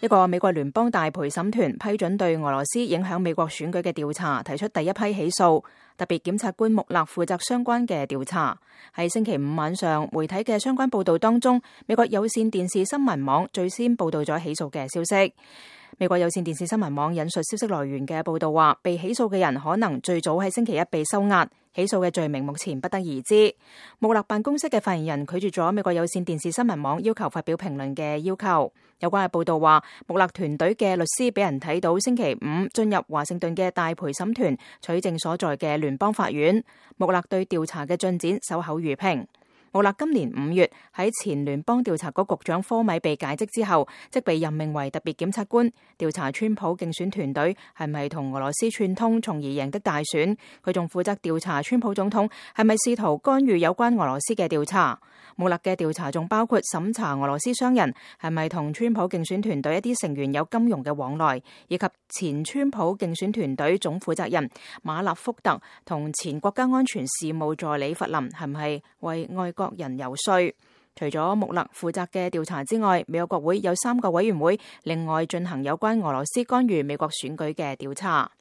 一個美國聯邦大陪審團批准對俄羅斯影響美國選舉嘅調查提出第一批起訴，特別檢察官穆勒負責相關嘅調查。喺星期五晚上，媒體嘅相關報道當中，美國有線電視新聞網最先報道咗起訴嘅消息。美國有線電視新聞網引述消息來源嘅報道話，被起訴嘅人可能最早喺星期一被收押，起訴嘅罪名目前不得而知。穆勒辦公室嘅發言人拒絕咗美國有線電視新聞網要求發表評論嘅要求。有關嘅報道話，穆勒團隊嘅律師俾人睇到星期五進入華盛頓嘅大陪審團取證所在嘅聯邦法院。穆勒對調查嘅進展守口如瓶。穆勒今年5月喺前聯邦調查局局長科米被解職之後，即被任命為特別檢察官，調查川普競選團隊係咪同俄羅斯串通，從而贏得大選。佢仲負責調查川普總統係咪試圖干預有關俄羅斯嘅調查。穆勒嘅調查仲包括審查俄羅斯商人係咪同川普競選團隊一啲成員有金融嘅往來，以及前川普競選團隊總負責人馬納福特同前國家安全事務助理弗林係唔係為外國人游說。除咗穆勒負責嘅調查之外，美國國會有3個委員會另外進行有關俄羅斯干預美國選舉嘅調查。